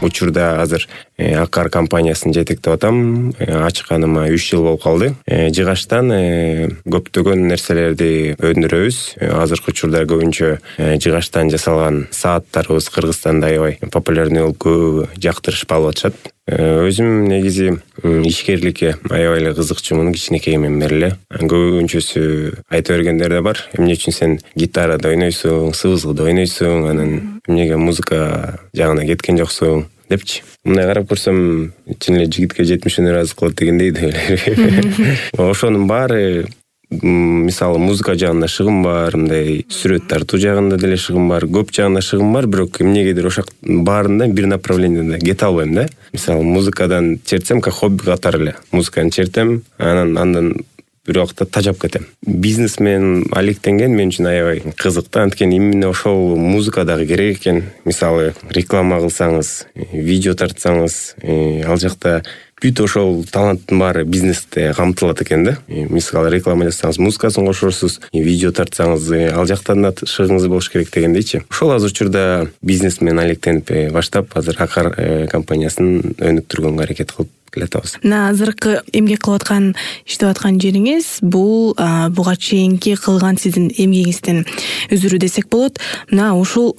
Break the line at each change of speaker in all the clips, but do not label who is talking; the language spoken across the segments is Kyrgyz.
учурда азыр Акар компаниясын жетектеп атам. Ачканыма 3 жыл болуп калды. Жыгачтан көптөгөн нерселерди өндүрөбүз. Азыркы учурда көбүнчө жыгачтан жасалган сааттарыбыз Кыргызстанда аябай популярный болуп көбү жактырышып алып атышат. Өзүм негизи ишкерликке аябай эле кызыкчумун кичинекейимден бери эле. Көбүнчөсү айта бергендер да бар. Эмне үчүн сен гитарада ойнойсуң, сыбызгыда ойнойсуң, анан эмнеге музыка жагына кеткен жоксуң депчи. Мындай карап көрсөм, чын эле жигитке жетмишин ыраазы кылат дегендей деп. Ошонун баары, мисалы музыка жагында шыгым бар, мындай сүрөт тартуу жагында деле шыгым бар, көп жагында шыгым бар, бирок эмнегедир ошол баарында бир направленияда кете албайм да. Мисалы музыкадан чертсем, как хобби катары эле музыканы чертем, андан бир убакта тажап кетем. Бизнес менен алектенген мен үчүн аябай кызык да, анткени именно ошол музыка дагы керек экен. Мисалы реклама кылсаңыз, видео тартсаңыз, ал жакта бүт ошол таланттын баары бизнесте камтылат экен да. Мисалы реклама жасасаңыз музыкасын кошорсуз, видео тартсаңыз ал жактан да шыгыңыз болуш керек дегендейчи. Ошол азыр учурда бизнес менен алектенип баштап, азыр Акар компаниясын өнүктүргөнгө аракет кылып келатабыз.
Мына азыркы эмгек кылып аткан, иштеп аткан жериңиз бул буга чейинки кылган сиздин эмгегиңизден үзүрүү десек болот. Мына ушул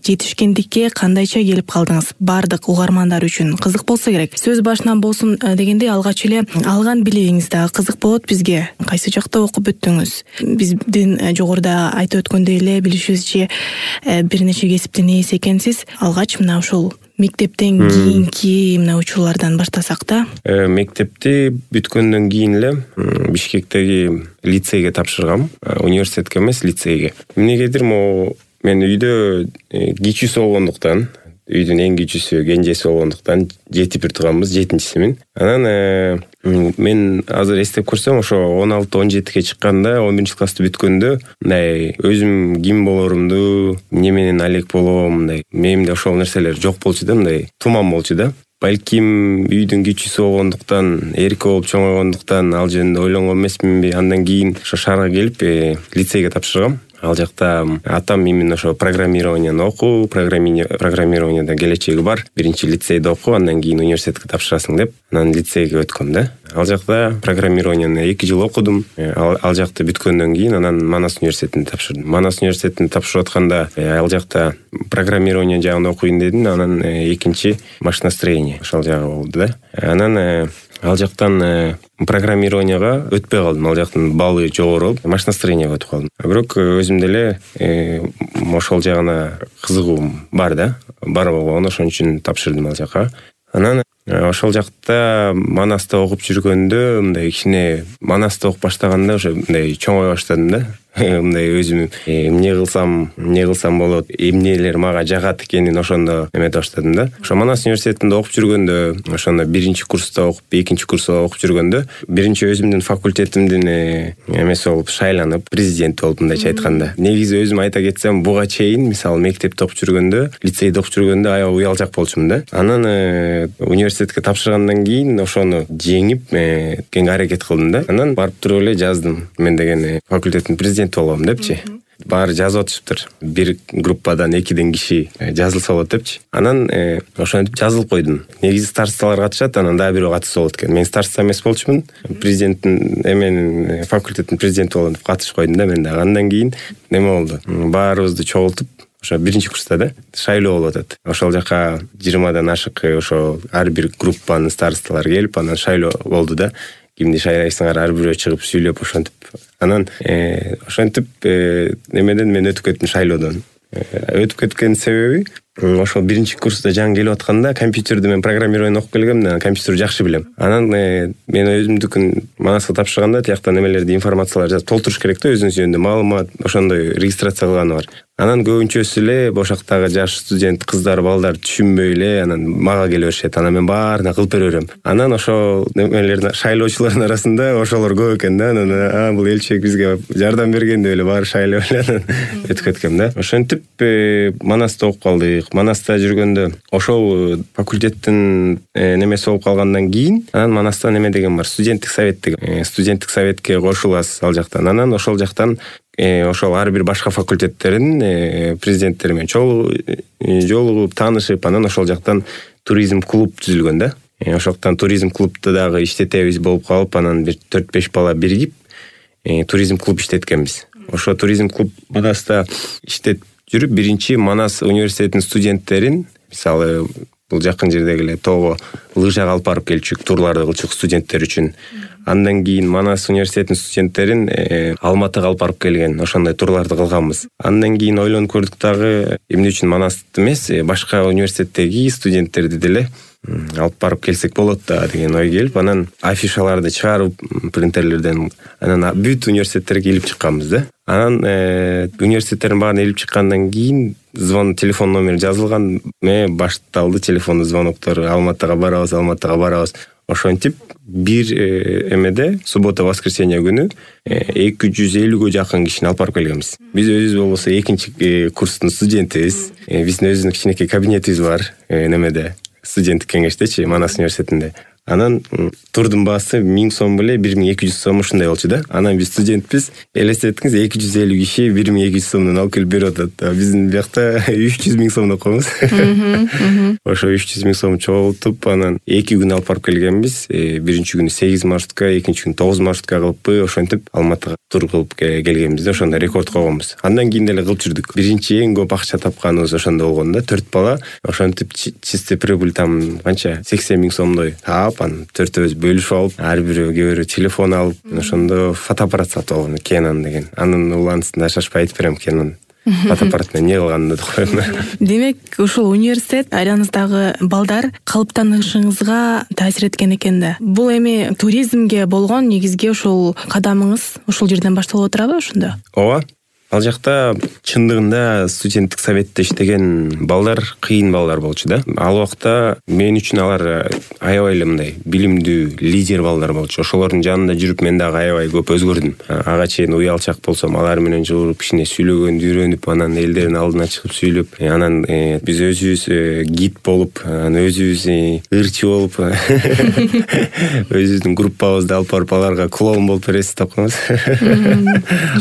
жетишкендикке кандайча келип калдыңыз? Бардык угармандар үчүн кызык болсо керек. Сөз башынан болсун дегендей, алгач эле алган билигиңиз дагы кызык болот бизге. Кайсы жакта окуп бүттүңүз? Биздин жогоруда айтып өткөндөй эле билишибизче бир нече кесиптин ээси экенсиз. Алгач мына ушул мектептен кийинки мына учурлардан баштасак да.
Мектепти бүткөндөн кийин эле Бишкектеги лицейге тапшыргам. Университетке эмес, лицейге. Эмнегедир мен үйдө кичүүсү болгондуктан, үйдүн эң кичүүсү, кенжеси болгондуктан жетип турганбыз, 7-симин. Анан мен азыр эстеп көрсөм, ошо 16-17ге чыкканда, 11-классты бүткөндө, мындай өзүм ким болорумду, эмне менен алек болом, мындай менимде ошол нерселер жок болчу да, мындай туман болчу да. Балким үйдүн кичүүсү болгондуктан, эрке болуп чоңойгондуктан ал жөнүндө ойлонгон эмесминби. Андан кийин ошо шаарга келип, лицейге тапшыргам. Ал жакта атам именно ошо программированияны оку, программированияда келечеги бар. Биринчи лицейде оку, андан кийин университетке тапшырасың деп, анан лицейге өткөм да. Ал жакта программированияны 2 жыл окудум. Ал жакты бүткөндөн кийин анан Манас университетине тапшырдым. Манас университетине тапшырып атканда ал жакта программирование жагында окуйн дедим, анан экинчи машиностроение ошол жагы болду да. Анан ал жактан программированияга өтпөй калдым. Ал жактын балы жогору болуп, машиностроениеге өтүп калдым. Бирок өзүмдө эле ошол жагына кызыгуум бар да. Бар болгон, ошон үчүн тапшырдым ал жакка. Анан ошол жакта Манаста окуп жүргөндө, мындай кичине Манаста окуп баштаганда ошо мындай чоңой баштадым да. Мындай өзүм эмне кылсам болот, эмнелер мага жагат экенин ошондо эмете баштадым да. Ошо Манас университетинде окуп жүргөндө, ошондо 1-курста окуп, 2-курста окуп жүргөндө, биринчи өзүмдүн факультетимдин эмеси болуп шайланып, президент болуп, мындайча айтканда. Негизи өзүм айта кетсем, буга чейин, мисалы мектепте окуп жүргөндө, лицейде окуп жүргөндө аябай уялжак болчумун да. Анан университетке тапшыргандан кийин ошону жеңип, кеңге аракет кылдым да. Анан барып туруп эле жаздым. Мен деген факультеттин президенти болом депчи. Баары жазып атышыптыр. Бир группадан 2 киши жазылса болот депчи. Анан ошентип жазылып койдум. Негизи старосталар катышат, анан дагы бирөө катышса болот экен. Мен староста эмес болчумун. Президенттин факультеттин президенти болом деп катышып койдум да мен дагы. Андан кийин неме болду? Баарыбызды чогултуп, ошо 1-курста да шайлоо болуп атат. Ошол жака 20дан ашык ошо ар бир группанын старосталары келип, анан шайлоо болду да. Кимди шайлайсыңар, ар бирөө чыгып сүйлөп ошентип. Анан ошентип немеден мен өтүп кеттим шайлоодон. Өтүп кеткен себеби ошол 1-курста жаңы келип атканда компьютерди мен программирование окуп келгем, компьютерди жакшы билем. Анан мен өзүмдүкүн Манаска тапшырганда тиякта немелерди, информацияларды жазып толтуруш керек да, өзүнүн жөнүндө маалымат, ошондой регистрация кылганы бар. Анан көбүнчөсү эле бошактагы жаш студент кыздар, балдар түшүнбөй эле анан мага келе беришет. Анан мен баарына кылып бере берем. Анан ошол немелердин шайлоочулардын арасында ошолор көп экен да. Анан бул элчек бизге жардам берген деп эле баары шайлап эле анан өтүп кеткем да. Ошентип Манаста окуп калдык. курдук. Манаста жүргөндө ошол факультеттин немеси болуп калгандан кийин анан Манаста неме деген бар, студенттик совет деген. Студенттик советке кошуласыз ал жактан. Анан ошол жактан ошол ар бир башка факультеттердин президенттери менен жолугуп, таанышып, анан ошол жактан туризм клуб түзүлгөн да. Ошоктон туризм клубду дагы иштетебиз болуп калып, анан бир 4-5 бала биригип туризм клуб иштеткенбиз. Ошо туризм клуб Манаста иштеп жүрүп, биринчи Манас университетинин студенттерин, мисалы бул жакын жердеги эле тоого лыжага алып барып келчүк, турларды кылчук студенттер үчүн. Андан кийин Манас университетинин студенттерин Алматыга алып барып келген, ошондой турларды кылганбыз. Андан кийин ойлонуп көрдүк дагы, эмне үчүн Манасты эмес, башка университеттеги студенттерди деле алып барып келсек болот да деген ой келип, анан афишаларды чыгарып принтерлерден анан бүт университеттерге илип чыкканбыз да. Анан университеттердин баарын илип чыккандан кийин телефон номери жазылган, башталды телефондуу звоноктор, Алматыга барабыз. Ошентип бир эмеде суббота-воскресенье күнү 250гө жакын кишини алып барып келгенбиз. Биз өзүбүз болбосо 2-чи курстун студентибиз. Биздин өзүбүздүн кичинекей кабинетибиз бар немеде, студенттик кеңештечи, Манас университетинде. Анан турдун баасы 1000 сом беле 1200 сом ушундай болчу да. Анан биз студентпиз, элестеттиңиз 250 киши 1200 сомдон алып келип берип атат. Биздин биякта 300 000 сомдон койбуз. Ошо 300 000 сом чогултуп, анан 2 күн алып барып келгенбиз. Биринчи күнү 8 маршрутка, экинчи күнү 9 маршрутка кылыппы, ошентип Алматыга тур кылып келгенбиз да, ошондо рекорд койгонбуз. Андан кийин деле кылып жүрдүк. Биринчи эң көп акча тапканыбыз ошондо болгон да, 4 бала. Ошентип чистый прибыль там канча 80 000 сомдой таап, төртөөбүз бөлүшүп алып, ар бирөө кээ телефон алып, ошондо фотоаппарат сатып алган, Canon деген. Анын уланысын шашпай айтып берем, Canon фотоаппарат менен эмне кылганымды деп коем.
Демек, ушул университет айланыңыздагы балдар калыптанышыңызга таасир эткен экен да. Бул эми туризмге болгон негизги ушул кадамыңыз ушул жерден башталып отурабы ошондо?
Ооба. Ал жакта чындыгында студенттик советте иштеген балдар кыйын балдар болчу да. Ал убакта мен үчүн алар аябай эле мындай билимдүү, лидер балдар болчу. Ошолордун жанында жүрүп мен дагы аябай көп өзгөрдүм. Ага чейин уялчак болсом, алар менен жолугуп кичине сүйлөгөндү үйрөнүп, анан элдердин алдына чыгып сүйлөп, анан биз өзүбүз гид болуп, анан өзүбүз ырчы болуп, өзүбүздүн группабызды алып барып аларга клоун болуп беребиз деп коебуз.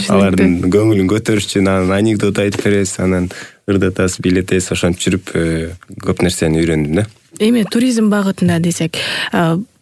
Алардын көңүлүн көтөрүш үчүн анан анекдот айтып беребиз, анан ырдатасыз, билетесиз, ошентип жүрүп көп нерсени үйрөндүм да.
Эми туризм багытында десек,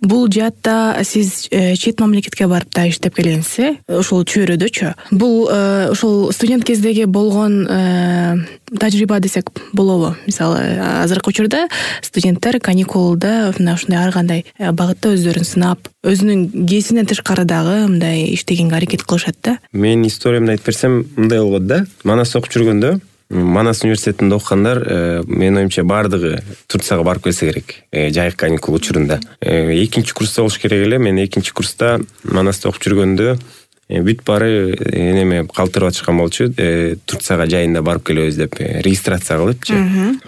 бул жаатта сиз чет мамлекетке барып да иштеп келгенсиз, ошол чөйрөдөчү. Бул ошол студент кездеги болгон тажрыйба десек болобу? Мисалы, азыркы учурда студенттер каникулда ушундай ар кандай багытта өздөрүн сынап, өзүнүн кесибинен тышкары дагы мындай иштегенге аракет кылышат да.
Менин историямды айтып берсем, мындай болгон да. Манас окуп жүргөндө, Манас университетинде окугандар, менин оюмча баардыгы Турцияга барып келсе керек, жайык каникул учурунда. Экинчи курста болуш керек эле. Мен экинчи курста Манаста окуп жүргөндө бүт баары неме калтырып атышкан болчу. Турцияга жайында барып келебиз деп регистрация кылыпчы.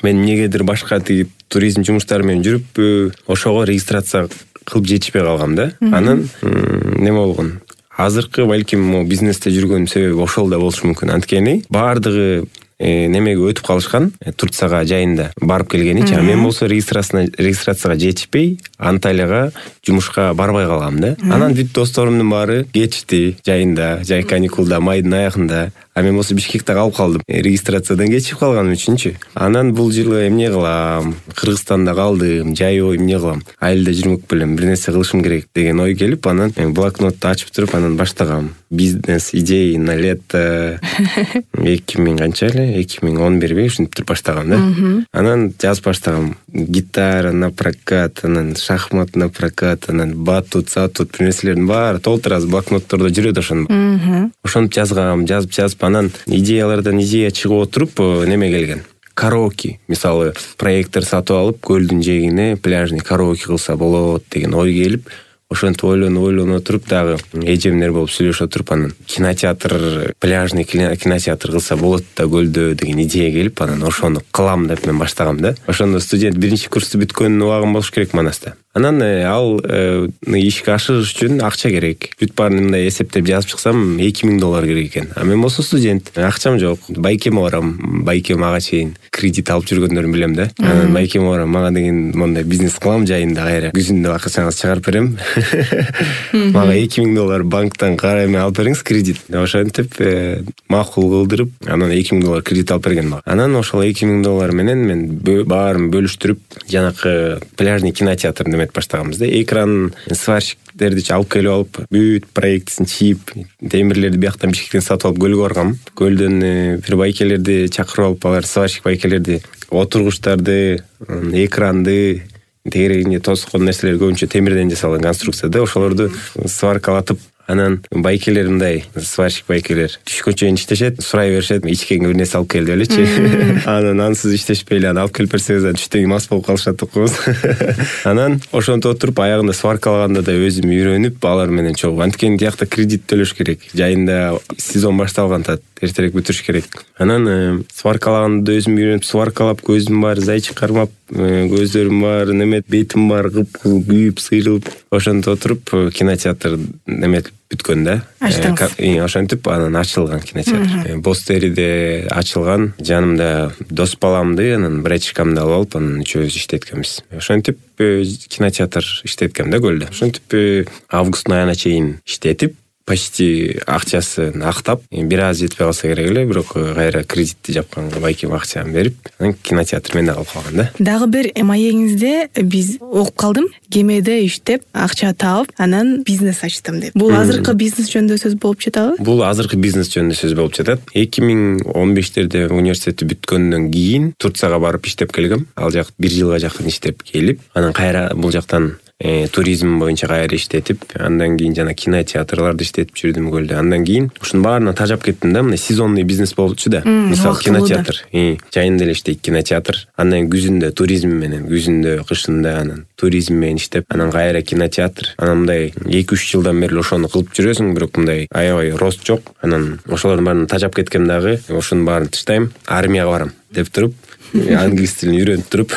Мен эмнегедир башка тиги туризм жумуштары менен жүрүп, ошого регистрация кылып жетишпей калгам да. Анан неме болгон? Азыркы балким бизнесте жүргөнүм себеби ошол да болушу мүмкүн. Анткени баардыгы немеге өтүп калышкан, Турцияга жайында барып келгеничи. Мен болсо регистрацияга жетишпей, Анталияга жумушка барбай калгам да. Анан бүт досторумдун баары кетишти жайында, жай каникулда, майдын аягында. А мен болсо Бишкекте калып калдым. Регистрациядан кечип калганым үчүнчү. Анан бул жылы эмне кылам? Кыргызстанда калдым, жайбой эмне кылам? Айылда жүрмөк белем, бир нерсе кылышым керек деген ой келип, анан блокнотту ачып туруп, анан баштагам. Бизнес идеи на лето 2000 канча эле, 2011 ушинтип туруп баштагам да. Анан жазып баштагам. Гитара на прокат, анан шахмат на прокат, анан батут, сатут, бир нерселердин баары толтура блокноттордо жүрөт ошондо. Ошонуп жазгам, жазып, анан идеялардан идея чыгып отуруп, неме келген. Караоке, мисалы, проектор сатып алып, көлдүн жээгине пляжный караоке кылса болот деген ой келип, ошентип ойлонуп отуруп, дагы эжемдер болуп сүйлөшүп отуруп, анан кинотеатр, пляжный кинотеатр кылса болот да көлдө деген идея келип, анан ошону кылам деп мен баштагам да. Ошондо студент биринчи курсту бүткөн убагым болуш керек Манаста. Анан ал ишке ашырыш үчүн акча керек. Бүт баарын мындай эсептеп жазып чыксам $2000 керек экен. А мен болсо студент, акчам жок. Байкеме барам. Байкем ага чейин кредит алып жүргөндөрүн билем да. Анан байкеме барам. Мага деген мондай бизнес кылам жайында кайра күзүндө акчаңызды чыгарып берем. Мага $2000 банктан карайма алып бериңиз кредит. Ошентип макул кылдырып, анан $2000 кредит алып берген мага. Анан ошол $2000 менен мен баарын бөлүштүрүп, жанакы пляжный кинотеатрды эметип баштаганбыз да. Экран, сварщиктерди алып келип алып, бүт проектисин чийип, темирлерди бияктан Бишкектен сатып алып көлгө баргам. Көлдөн бир байкелерди чакырып алып, алар сварщик байкелерди отургучтарды, экранды, тегерегине тоскон нерселер көбүнчө темирден жасалган конструкцияда, ошолорду сваркалатып, анан байкелер мындай сварщик байкелер түшкө чейин иштешет, сурай беришет, ичкеңе бир нерсе алып кел деп элечи. Анан ансыз иштешпей эле аны алып келип берсеңиз түштөн мас болуп калышат окубуз. Анан ошентип отуруп аягында сваркалаганда да өзүм үйрөнүп, алар менен чогуу. Анткени тиякта кредит төлөш керек. Жайында сезон башталган тат, эртерээк бүтүрүш керек. Анан сваркалаганда да өзүм үйрөнүп, сваркалап, көзүм бар зайчик кармап, көздөрүм бар, немет бетим бар, кыпкызыл күйүп, сыйрылып, ошентип отуруп кинотеатр неметип бүткөн да. Ошентип анан ачылган кинотеатр. Бостериде ачылган. Жанымда дос баламды, анан братчикамды алып алып, анан үчөөбүз иштеткенбиз. Ошентип кинотеатр иштеткем да Көлдө. Ошентип августтун айына чейин иштетип, почти акчасын актап, бир аз жетпей калса керек эле, бирок кайра кредитти жапканга байкем акчаны берип, анан кинотеатр менде калып калган да.
Дагы бир маегиңизде биз окуп калдым, кемеде иштеп, акча таап, анан бизнес ачтым деп. Бул азыркы бизнес жөнүндө сөз болуп жатабы?
Бул азыркы бизнес жөнүндө сөз болуп жатат. 2015-терде университетти бүткөндөн кийин Турцияга барып иштеп келгем. Ал жак 1 жылга жакын иштеп келип, анан кайра бул жактан туризм боюнча кайра иштетип, андан кийин жана кинотеатрларда иштетип жүрдүм Көлдө. Андан кийин ушунун баарына тажап кеттим да, мына сезонный бизнес болчу да. Мисалы кинотеатр, жайында эле иштейт кинотеатр. Андан күзүндө туризм менен, күзүндө, кышында анан туризм менен иштеп, анан кайра кинотеатр. Анан мындай 2-3 жылдан бери ошону кылып жүрөсүң, бирок мындай аябай рост жок. Анан ошолордун баарына тажап кеткем дагы, ошонун баарын таштайм, армияга барам деп туруп, англис тилин үйрөнүп туруп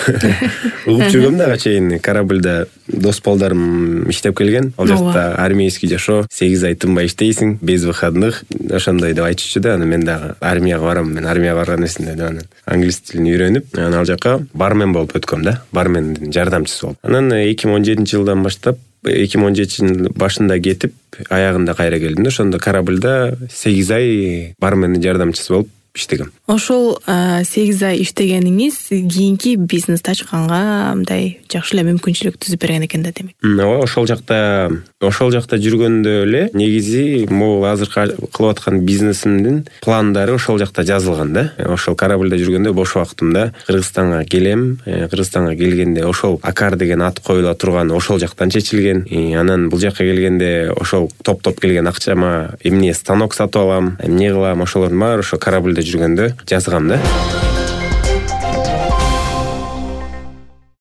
угуп жүргөм дагы чейин. Корабльда дос балдарым иштеп келген. Ал жакта армейский жашоо, 8 ай тынбай иштейсиң, без выходных, ошондой деп айтышчу да. Анан мен дагы армияга барам, мен армияга барган эсимде деп анан англис тилин үйрөнүп, анан ал жака бармен болуп өткөм да, бармендин жардамчысы болуп. Анан 2017-жылдан баштап 2017-жылдын башында кетип, аягында кайра келдим да. Ошондо корабльда 8 ай бармендин жардамчысы болуп иштегем.
Ошол 8 ай иштегениңиз кийинки бизнести ачканга мындай жакшы эле мүмкүнчүлүк түзүп берген экен да, демек.
Ооба, ошол жакта жүргөндө эле негизи могул азыр кылып аткан бизнесимдин пландары ошол жакта жазылган да. Ошол корабльда жүргөндө бош убактымда Кыргызстанга келем. Кыргызстанга келгенде ошол Акар деген ат коюла турган ошол жактан чечилген. Анан бул жакка келгенде ошол топ келген акчама эмне станок сатып алам, эмне кылам, ошолордун баары ошо корабльда жүргөндө жазгам да.